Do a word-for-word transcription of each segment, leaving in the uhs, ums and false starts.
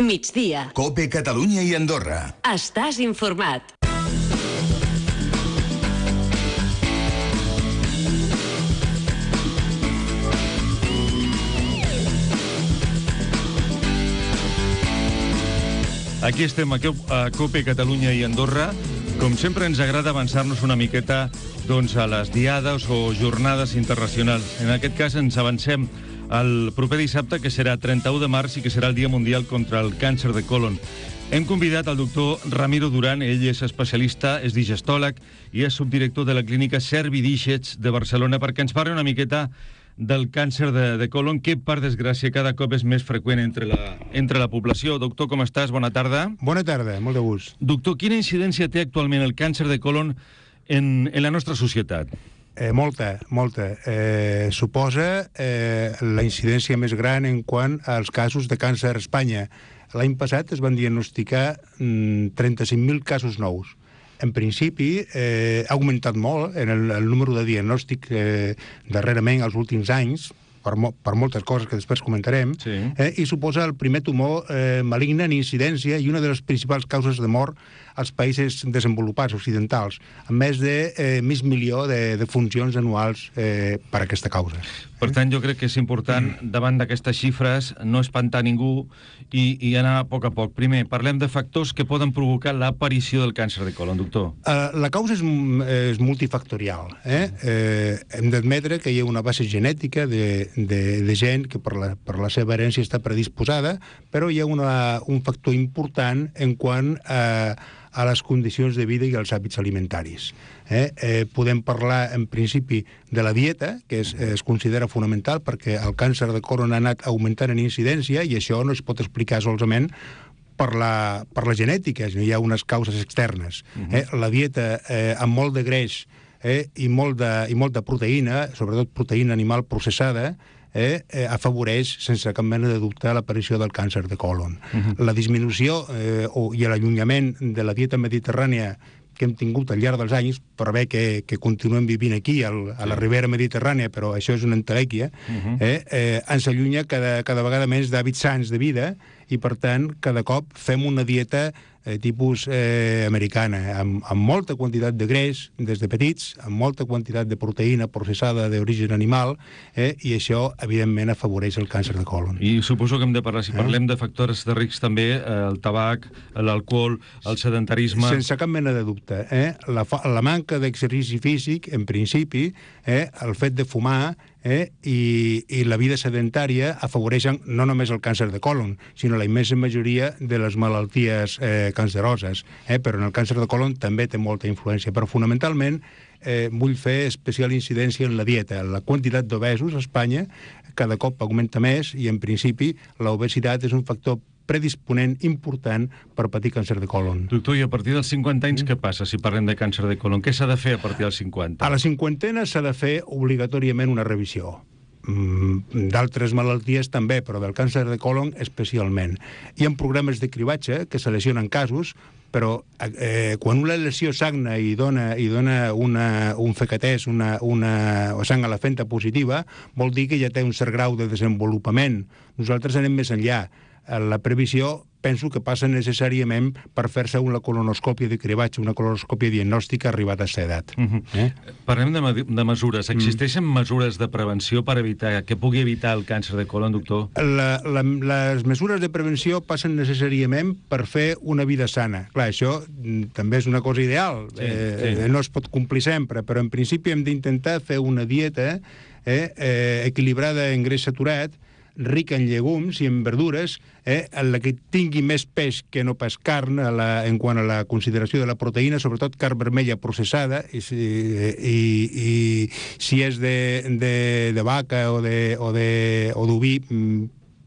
Migdia. COPE Catalunya i Andorra. Estàs informat. Aquí estem, aquí a COPE Catalunya i Andorra. Com sempre, ens agrada avançar-nos una miqueta doncs, a les diades o jornades internacionals. En aquest cas, ens avancem al proper dissabte, que serà trenta-u de març i que serà el Dia Mundial contra el Càncer de Colon. Hem convidat el doctor Ramiro Duran. Ell és especialista, és digestòleg i és subdirector de la clínica Servi Díxets de Barcelona, perquè ens parli una miqueta del càncer de, de colon, que, per desgràcia, cada cop és més freqüent entre la, entre la població. Doctor, com estàs? Bona tarda. Bona tarda, molt de gust. Doctor, quina incidència té actualment el càncer de colon en, en la nostra societat? Eh, molta, molta. Eh, suposa eh, la incidència més gran en quant als casos de càncer a Espanya. L'any passat es van diagnosticar mm, trenta-cinc mil casos nous. En principi, eh, ha augmentat molt en el, el número de diagnòstic eh, darrerament als últims anys, per, mo per moltes coses que després comentarem, sí. eh, i suposa el primer tumor eh, maligne en incidència i una de les principals causes de mort als països desenvolupats occidentals, amb més de eh, mig milió de, de funcions anuals eh, per aquesta causa. Per tant, jo crec que és important, davant d'aquestes xifres, no espantar ningú i, i anar a poc a poc. Primer, parlem de factors que poden provocar l'aparició del càncer de colon, doctor. Uh, la causa és, és multifactorial. Eh? Eh, hem d'admetre que hi ha una base genètica de, de, de gent que per la, per la seva herència està predisposada, però hi ha una, un factor important en quant a a les condicions de vida i als hàbits alimentaris. Eh? Eh, podem parlar, en principi, de la dieta, que es, es considera fonamental perquè el càncer de colon ha anat augmentant en incidència i això no es pot explicar solament per la, per la genètica, hi ha unes causes externes. Eh? La dieta eh, amb molt de greix eh, i, molt de, i molta proteïna, sobretot proteïna animal processada, Eh, eh, afavoreix, sense cap mena de dubte, l'aparició del càncer de colon. Uh-huh. La disminució eh, o, i l'allunyament de la dieta mediterrània que hem tingut al llarg dels anys, per bé que, que continuem vivint aquí, al, a la Ribera Mediterrània, però això és una entelèquia, uh-huh. eh, eh, ens allunya cada, cada vegada més d'hàbits sants de vida i, per tant, cada cop fem una dieta eh, tipus eh, americana, amb, amb molta quantitat de greix des de petits, amb molta quantitat de proteïna processada d'origen animal, eh, i això, evidentment, afavoreix el càncer de colon. I suposo que hem de parlar, si parlem eh? de factors de risc també, eh, el tabac, l'alcohol, el sedentarisme... Sense cap mena de dubte. Eh? La, la manca d'exercici físic, en principi, eh, el fet de fumar, Eh, i, i la vida sedentària afavoreixen no només el càncer de colon, sinó la immensa majoria de les malalties eh, canceroses. Eh, però en el càncer de colon també té molta influència. Però fonamentalment eh, vull fer especial incidència en la dieta. La quantitat d'obesos a Espanya cada cop augmenta més i, en principi, l'obesitat és un factor predisponent important per patir càncer de colon. Doctor, i a partir dels cinquanta anys què passa si parlem de càncer de colon? Què s'ha de fer a partir dels cinquanta? A la cinquantena s'ha de fer obligatòriament una revisió. Mm, d'altres malalties també, però del càncer de colon especialment. Hi ha programes de cribatge que seleccionen casos, però eh, quan una lesió sagna i dona, i dona una, un fecatès, una, una sang a la fenta positiva, vol dir que ja té un cert grau de desenvolupament. Nosaltres anem més enllà. La previsió penso que passa necessàriament per fer-se una colonoscòpia de cribatge, una colonoscòpia diagnòstica arribada a aquesta edat. Uh-huh. eh? Parlem de, de mesures. Existeixen mm. mesures de prevenció per evitar que pugui evitar el càncer de colon, doctor? La, la, les mesures de prevenció passen necessàriament per fer una vida sana. Clar, això també és una cosa ideal. Sí, eh, sí. No es pot complir sempre, però en principi hem d'intentar fer una dieta eh, eh, equilibrada en greix saturat, rica en llegums i en verdures, eh, en la que tingui més peix que no pas carn a la, en quant a la consideració de la proteïna, sobretot carn vermella processada, i, i, i si és de, de, de vaca o de, o de, o d'oví,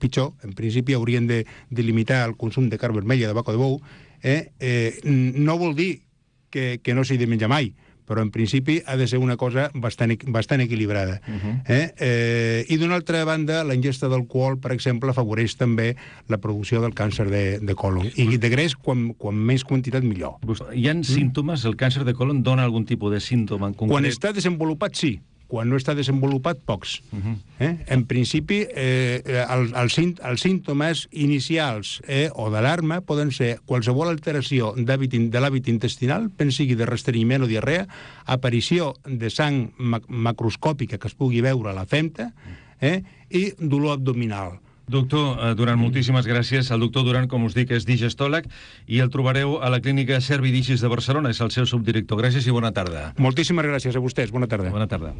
pitjor. En principi haurien de, de limitar el consum de carn vermella, de vaca o de bou. Eh? Eh, no vol dir que, que no s'hi de menjar mai, però en principi ha de ser una cosa bastant, bastant equilibrada. Uh-huh. eh? Eh, I d'una altra banda, la ingesta d'alcohol, per exemple, afavoreix també la producció del càncer de, de colon. I de greix, quan, quan més quantitat, millor. Hi ha símptomes? El càncer de colon dona algun tipus de símptoma en concret? Quan està desenvolupat, sí. quan no està desenvolupat, pocs. Uh-huh. eh? En principi, eh, el, el, els símptomes inicials eh, o d'alarma poden ser qualsevol alteració de l'hàbit intestinal, ben sigui de restrenyiment o diarrea, aparició de sang mac macroscòpica que es pugui veure a la femta, eh, i dolor abdominal. Doctor Duran, moltíssimes gràcies. El doctor Duran, com us dic, és digestòleg i el trobareu a la clínica Servidicis de Barcelona, és el seu subdirector. Gràcies i bona tarda. Moltíssimes gràcies a vostès. Bona tarda. Bona tarda.